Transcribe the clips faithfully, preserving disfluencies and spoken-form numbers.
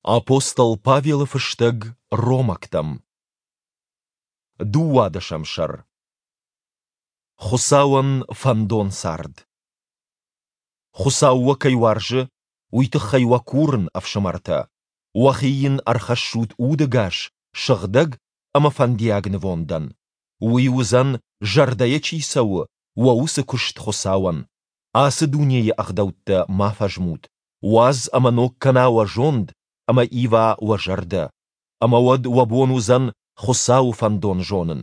Апостол Павелы фыстӕг Ромӕгтӕм. Дыууадӕсӕм сӕр. Хуыцауӕн фӕндон цард. Хуыцау уӕ кӕй уарзы, уый тыххӕй уӕ курын, ӕфсымӕртӕ, уӕхи йын ӕрхӕссут удӕгас, сыгъдӕг ӕмӕ фӕндиаг нывондӕн. Уый уыдзӕн, зӕрдӕйӕ чи цӕуы, уӕ уыцы куыст Хуыцауӕн. Ацы дунейы ӕгъдӕуттӕ ма фӕзмут. Уадз ӕмӕ ног кӕна уӕ зонд ӕмӕ ива уӕ зӕрдӕ. Ӕмӕ уӕд уӕ бон уыдзӕн Хуыцауы фӕндон зонын.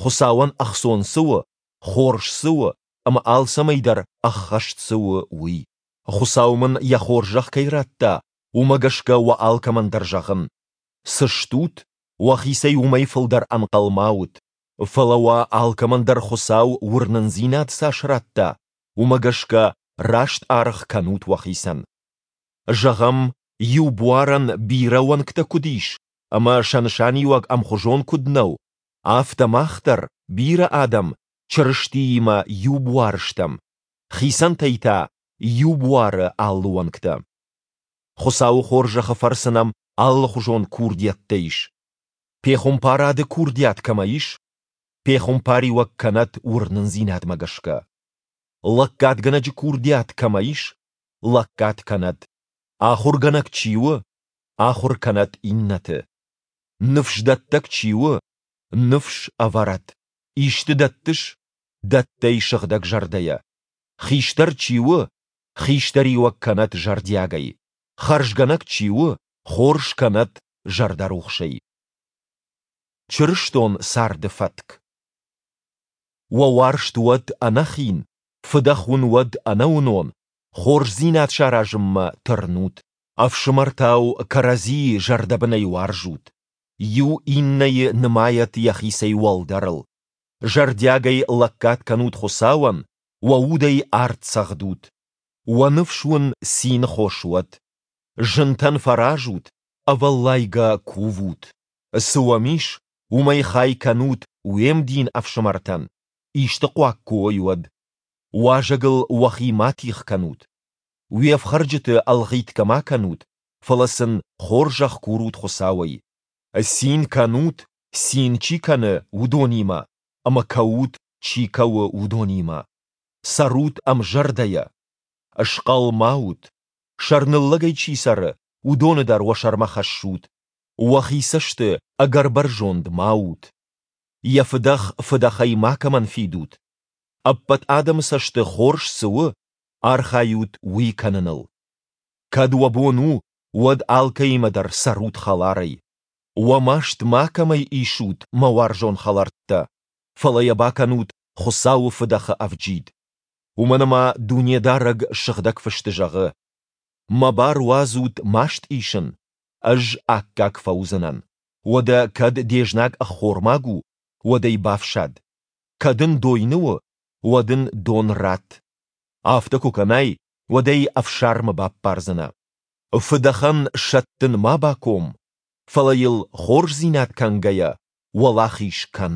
Хуыцауӕн ӕхцон цы у, хорз цы у ӕмӕ алцӕмӕй дӕр ӕххӕст цы у, уый. Хуыцау мын йӕ хорзӕх кӕй радта, уымӕ гӕсгӕ уӕ алкӕмӕн дӕр зӕгъын: цы стут, уӕхицӕй уымӕй фылдӕр ӕнхъӕл ма ут. Фӕлӕ уӕ алкӕмӕн дӕр Хуыцау уырнындзинад цас радта, уымӕ гӕсгӕ раст аргъ кӕнут уӕхицӕн. Зӕгъӕм, иу буарӕн бирӕ уӕнгтӕ куыд ис ӕмӕ сӕ нысаниуӕг ӕмхуызон куыд нӕу, афтӕ мах дӕр, бирӕ адӕм, Чырыстиимӕ иу буар стӕм, хицӕнтӕй та иу буары алы уӕнгтӕ. Хуыцауы хорзӕхы фӕрцы нӕм алыхуызон курдиӕттӕ ис. Пехуымпарады курдиат кӕмӕ ис, пехуымпариуӕг кӕнӕд уырнындзинадмӕ гӕсгӕ. Лӕггадгӕнӕджы курдиат кӕмӕ ис, лӕггад кӕнӕд. Ахуыргӕнӕг чи у, ахуыр кӕнӕд иннӕты. Ныфсдӕттӕг чи у, ныфс ӕвӕрӕд. Исты дӕттыс, дӕтт ӕй сыгъдӕг зӕрдӕйӕ. Хистӕр чи у, хистӕриуӕг кӕнӕд зӕрдиагӕй. Хӕрзгӕнӕг чи у, хорз кӕнӕд зӕрдӕрухсӕй. Чырыстон царды фӕтк. Уӕ уарзт уӕд ӕнӕхин, фыдӕх уын уӕд ӕнӕуынон, хорздзинад саразынмӕ тырнут. Ӕфсымӕртау кӕрӕдзийы зӕрдӕбынӕй уарзут. Иу иннӕйы нымайӕд йӕхицӕй уӕлдӕрыл. Зӕрдиагӕй лӕггад кӕнут Хуыцауӕн, уӕ удӕй арт цӕгъдут. Уӕ ныфс уын цины хос уӕд. Зынтӕн фӕразут, ӕвӕллайгӕ кувут. Цы уӕм ис, уымӕй хай кӕнут уе мдин ӕфсымӕртӕн, исты хъуаг куы уой, уӕд. Уазӕгыл уӕхи ма тигъ кӕнут. Уе фхӕрджыты ӕлгъитгӕ ма кӕнут, фӕлӕ сын хорзӕх курут Хуыцауӕй. Цин кӕнут, цин чи кӕны, уыдонимӕ, ӕмӕ кӕут, чи кӕуы, уыдонимӕ. Цӕрут ӕмзӕрдӕйӕ. Схъӕл ма ут. Сӕрныллӕгӕй чи цӕры, уыдоны дӕр уӕ сӕрмӕ хӕссут. Уӕхи цӕсты ӕгӕр бӕрзонд ма ут. Йӕ фыдӕх фыдӕхӕй макӕмӕн фидут. Ӕппӕт адӕмы цӕсты хорз цы у, архайут уый кӕныныл. Кӕд уӕ бон у, уӕд алкӕимӕ дӕр цӕрут хӕларӕй. Уӕ маст макӕмӕй исут, мӕ уарзон хӕлӕрттӕ, фӕлӕ йӕ бакӕнут Хуыцауы фыдӕхы ӕвджид. Уымӕн ӕмӕ Дунедарӕг Сыгъдӕг Фысты зӕгъы: Мӕ бар уадзут маст исын, ӕз аккаг фӕуыдзынӕн. Уӕдӕ кӕд де знаг ӕххормаг у, уӕд ӕй бафсад. Кӕд ын дойны у, уӕд ын дон ратт. Афтӕ куы кӕнай, уӕд ӕй ӕфсӕрмы баппардзынӕ. Фыдӕхӕн сӕттын ма баком, фӕлӕ йыл, хорздзинад кӕнгӕйӕ, уӕлахиз кӕн.